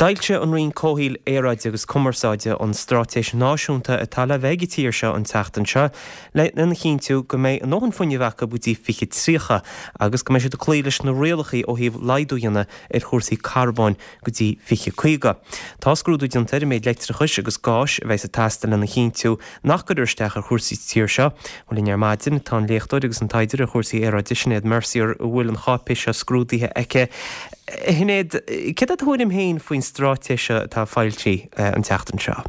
D'fhoilsigh an Roinn Comhshaoil, Aeráide agus Cumarsáide an straitéis náisiúnta atá le bheith ag an tír seo an tseachtain seo lena chinntiú go mbeidh a ndóthain fuinnimh acu go dtí 2030 agus go mbeidh siad ag cloí leis na rialacha ó thaobh laghdú a dhéanamh ar chúrsaí carbóin go dtí 2050. Tá scrúdú déanta ar an méid leictreachais agus gáis a bheas ag teastáil lena chinntiú nach gcuirfear isteach ar chúrsaí sa tír seo. Bhuel linn ar maidin tá an léachtóir agus an taighdeoir ar chúrsaí aeráide Sinéad Mercier a bhfuil an cháipéis seo scrúdaithe aici. A Shinéad, céard é do thuairim féin faoin straitéis seo atá foilsithe an tseachtain seo?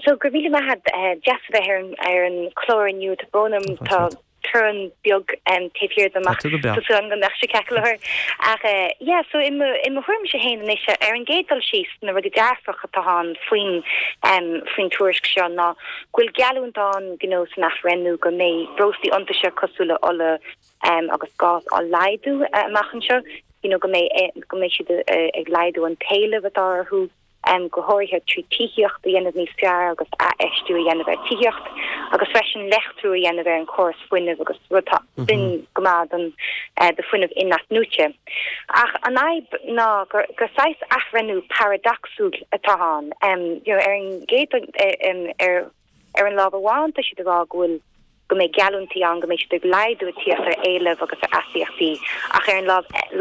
So, go raibh míle maith agat. Deas a bheith ar an ar an chlár inniu. Tá brón orm, tá torann beag taobh thiar dom ach tá súil agam go mbeadh sé ceart go leor. Ach yeah, so i mo i mo thuairimse féin anois, ar an gcéad dul síos, na rudaí dearfach atá ann faoin faoin tuairisc seo ná go bhfuil geallúint ann you know san athbhreithniú go mbeidh breoslaí iontaise cosúil le ola agus gás á laghdú amach anseo, you know go mbeidh go mbeidh siad ag laghdú an t-éileamh atá orthu. go háirithe trí tithíocht a dhéanamh níos fearr agus athfheistiú a dhéanamh ar tithíocht agus freisin leictriú a dhéanamh ar an chóras fuinnimh agus rud atá sin go maith don do fuinneamh in-athnuaite. Ach an fhadhb ná gur gur saghas athbhreithniú paradacsúil atá ann. You know, ar an gcéad ar ar an lámh amháin tá siad ag rá go bhfuil go mbeidh geallúintí ann go mbeidh siad ag laghdú ag tíocht ar éileamh agus ar astaíochtaí, ach ar an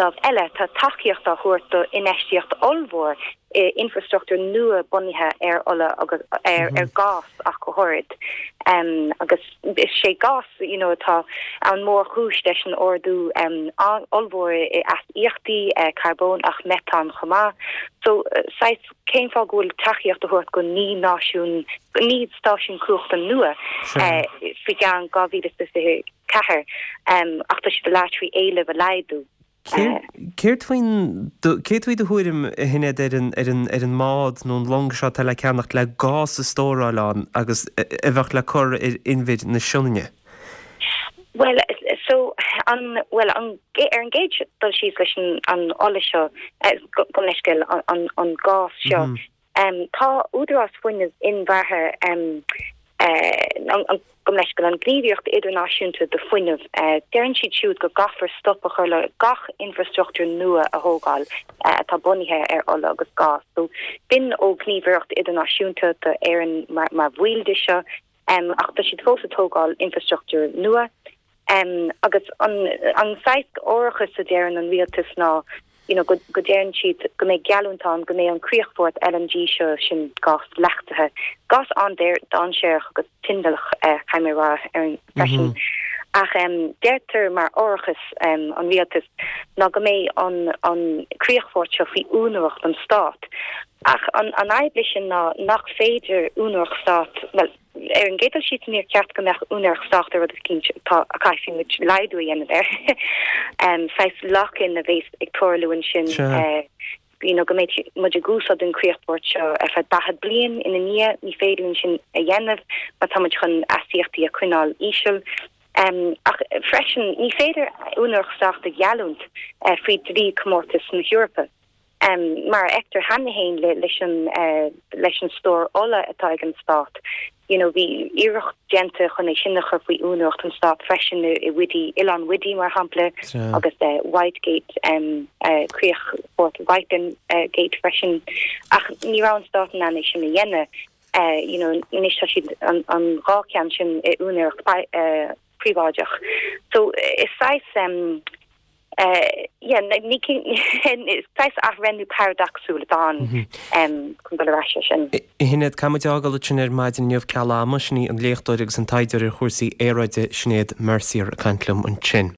lámh eile tá tacaíocht á thabhairt do infheistíocht ollmhór i infreastruchtúr nua bunaithe ar ola agus ar ghás ach go háirid. Agus is é gás you know atá an mhórchúis leis an ardú ollmhór i astaíochtaí carbóin ach meatán chomh maith. So saghas cén fáth go bhfuil tacaíocht á thabhairt go 9 náisiún, 9 stáisiún cumhachta nua faoi gceann 2024 ach tá siad ag labhairt faoi éileamh a laghdú. Céard faoin, céard faoi do thuairim, a Shinéad, ar an, ar an, ar an mbád nó an long seo atá le ceannacht le gás a stóráil ann agus a bheadh le cur ar inbhir na Sionainne? Bhuel, so, an, bhuel, an, ar an gcéad dul síos leis an, an ola seo, gabh mo leithscéal, an, an gás seo, tá Údarás Fuinnimh Inmhuirearaithe, an, gabh mo leithscéal, an Gníomhaíocht Idirnáisiúnta do Fuinneamh, deireann siad siúd go gcaithfear stop a chur le gach infreastruchtúr nua a thógáil atá bunaithe ar ola agus gás. So, b'in ó Ghníomhaireacht Idirnáisiúnta d'Éirinn mar, mar bhaill de seo. Ach tá siad fós ag tógáil infreastruchtúr nua. Agus an saghas árachas a deireann an rialtas ná you know go deireann siad go mbeidh geallúint ann go mbeidh an críochfort LNG seo, sin gás leachtaithe, gás an-dainséarach agus tindeach caithfidh mé a rá freisin. Ach deirtear mar árachas an rialtas ná go mbeidh an críochfort seo faoi úinéireacht an Stát. Ach an fhadhb leis sin ná nach féidir úinéireacht stáit, bhuel, ar an gcéad dul síos níor cheart go mbeadh úinéireacht stáit ar rud eicínt atá, a chaithfidh muid laghdú a dhéanamh air. Saghas lock-in a bhéas ag tarlú ansin, you know, go mbeidh muid ag úsáid an críochfort seo ar feadh 40 bliain ina ndiaidh, ní féidir linn sin a dhéanamh má tá muid chun astaíochtaí a choinneáil íseal. Ach freisin, ní féidir úinéireacht stáit a gheallúint faoi dlí comórtais na hEorpa. Mar a fheictear cheana féin leis an leis an stór ola atá ag an stát, you know bhí iarracht déanta chun é sin a chur faoi úinéireacht an stáit freisin i Whiddy, Oileán Whiddy mar shampla agus Whitegate, críochfort Whitegate freisin ach ní raibh an stát in ann é sin a dhéanamh. You know anois tá siad an dhá cheann sin i úinéireacht príobháideach. So is saghas Yeah, ní is saghas athbhreithniú paradacsúil atá ann chun dul ar ais air sin. A Shinéad, caithfidh muid é a fhágáil ansin ar maidin inniu ceal ama, sin í an léachtóir agus an taighdeoir ar chúrsaí aeráide Sinéad Mercier ag caint liom ansin.